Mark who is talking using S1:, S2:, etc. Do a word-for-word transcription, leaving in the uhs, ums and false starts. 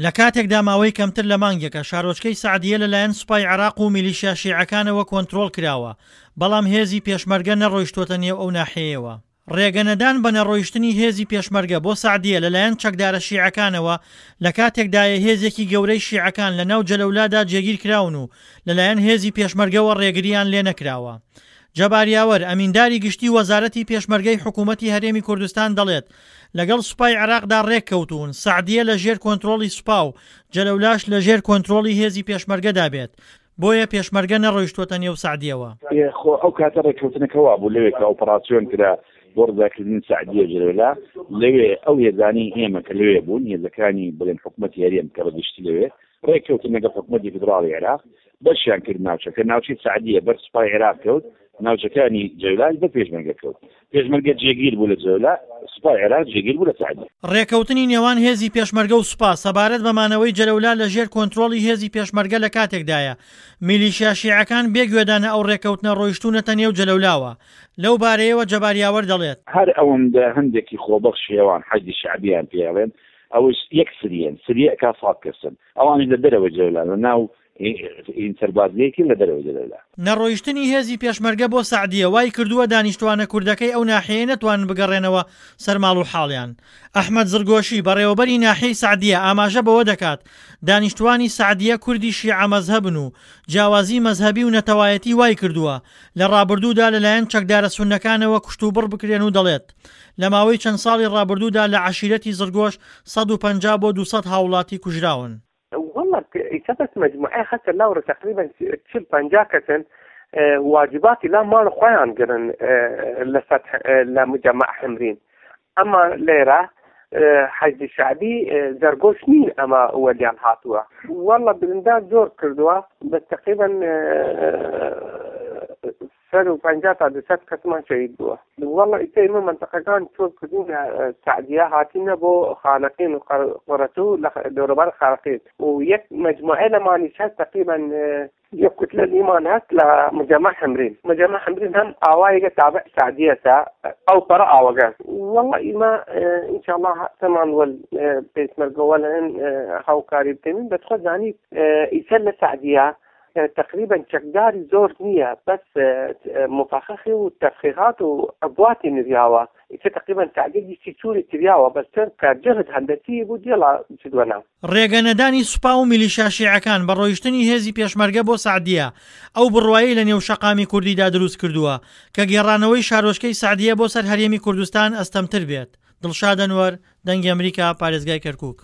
S1: لە کاتێکدا ماوەی کەمتر لە مانگێکە شارۆچکەی سەعدیە لەلایەن سوپای عێراق و میلیشیا شیعەکانەوە کۆنترۆڵ کراوە، بەڵام هێزی پێشمەرگە نەڕۆیشتووەتە نێو ئەو ناحیەیەوە. ڕێگەنەدان بە نەڕۆیشتنی هێزی پێشمەرگە بۆ سەعدیە لەلایەن چەکدارە شیعەکانەوە لە کاتێکدایە هێزێکی گەورەی شیعەکان لەناو جەلەولادا جێگیرکراون و لەلایەن هێزی پێشمەرگەوە ڕێگرییان لێنەکراوە. جەبار یاوەر، ئەمینداری گشتی وەزارەتی پێشمەرگەی حکوومەتی هەرێمی کوردستان دەڵێت، لەگەڵ سوپای عێراقدا ڕێککەوتوون سەعدیە لە ژێر کۆنترۆڵی سوپا و جەلەولاش لە ژێر کۆنترۆڵی هێزی پێشمەرگەدا بێت، بۆیە پێشمەرگە نەڕۆیشتووەتە نێو سەعدیەوە.
S2: خۆ ئەو کاتە ڕێککەوتنەکە وابوو لەوێ کە ئۆپەراسیۆن کرا بۆ ڕزگارکردنی سەعدیە و جەلەولا، لەوێ ئەو هێزانەی ئێمە کە لەوێ بوون، هێزەکانی بڵێن حکومەتی هەرێم کە بە گشتی لەوێ ڕێککەوتن لەگەڵ حکومەتی فیدراڵی عێراق، بەشیان کرد ناوچەکە، ناوچەی سەعدیە بەر سوپای عێراق کەوت، ناوچەکانی جەولاش بەر پێشمەرگە کەوت. پێشمەرگە جێگیر بوو لە جەولا، سوپای عێراق جێگیر بوو لە سەعدیە.
S1: ڕێکەوتنی نێوان هێزی پێشمەرگە و سوپا سەبارەت بە مانەوەی جەلەولا لە ژێر کۆنترۆڵی هێزی پێشمەرگە لە کاتێکدایە میلیشیا شیعەکان بێ گوێدانە ئەو ڕێکەوتنە ڕۆیشتوونەتە نێو جەلەولاوە. لەو بارەیەوە جەبار یاوەر دەڵێت.
S2: هەر ئەوەندە هەندێکی خۆبەخشی ئەوان حەشدی شەعبیان پێ ئەڵێن، ئەوەش یەک سریەن، سریە ئەکا سەد کەسن، ئەوانیش لە دەرەوەی جەلەولان لە ناو این سەربازگەیەکی لە دەرەوەی جەلەولا.
S1: نەڕۆیشتنی هێزی پێشمەرگە بۆ سەعدیە وای کردووە دانیشتوانە کوردەکەی ئەو ناحیەیە نەتوانن بگەڕێنەوە سەر ماڵ و حاڵیان. ئەحمەد زڕگۆشی، بەڕێوەبەری ناحیەی سەعدیە ئاماژە بەوە دەکات، دانیشتوانی سەعدیە کوردی شیعە مەزهەبن و جیاوازی مەزهەبی و نەتەوایەتی وای کردووە لە ڕابردوودا لەلایەن چەکدارە سوننەکانەوە کوشتوبڕ بکرێن و دەڵێت، لە ماوەی چەند ساڵی ڕابردوودا لە عەشیرەتی زڕگۆش سەد و پەنجا بۆ دوو سەد هاووڵاتی کوژراون.
S3: والله ئیسە بەس مەجموعەی هەسە لاورە تقریبا چل پەنجا کەسن واجباتی لا ماڵ خۆیان گرن لە سەتح لە مجەمەع حمرین ئەما لێرە حەشدی شەعبی زەرگۆش نین ئەمە وەلیان هاتووە والله بریندار زۆر کردووە بەس تقریبا سەر و پەنجا تا دوو سەد کەسمان شەهید بووە والله ئیسە ئێمە مەنتەقەکان چۆل کردین لە سەعدیە هاتینە بۆ خانەقین و قەرەتوو لە دەوروبەر خانەقین و یەک مەجموعە لەمانیش هەست تقریبا یەک کوتلە لیمان هەست لە مجەمع حمرین مجەمع حمرین هەم ئاوایەکە تابع سعدیەسە ئەو پەڕە ئاوەگە والله ئیمە ان شاء الله تەمان وەل پێشمەرگە وەل هەن هاوکاری بکەین بەس خۆت زانیت ئیسە لە سعدیە تقریبا چەکداری زۆر نییە بەس مفخخی و تفخیخات و عبواتی نریاوە ئیتر تقریبا سعدیە گشتی چوری کریاوە بەس چەند کە جهد هەندەسی بوو دیڵا چدوە ناو.
S1: ڕێگە نەدانی سوپا و میلیشیا شیعەکان بە ڕۆیشتنی هێزی پێشمەرگە بۆ سەعدیە ئەو بڕوایەی لە نێو شەقامی کوردیدا دروست کردووە کە گێڕانەوەی شارۆچکەی سەعدیە بۆ سەر هەرێمی کوردستان ئەستەمتر بێت. دڵشاد ئەنوەر، دەنگی ئەمریکا، پارێزگای کەرکوک.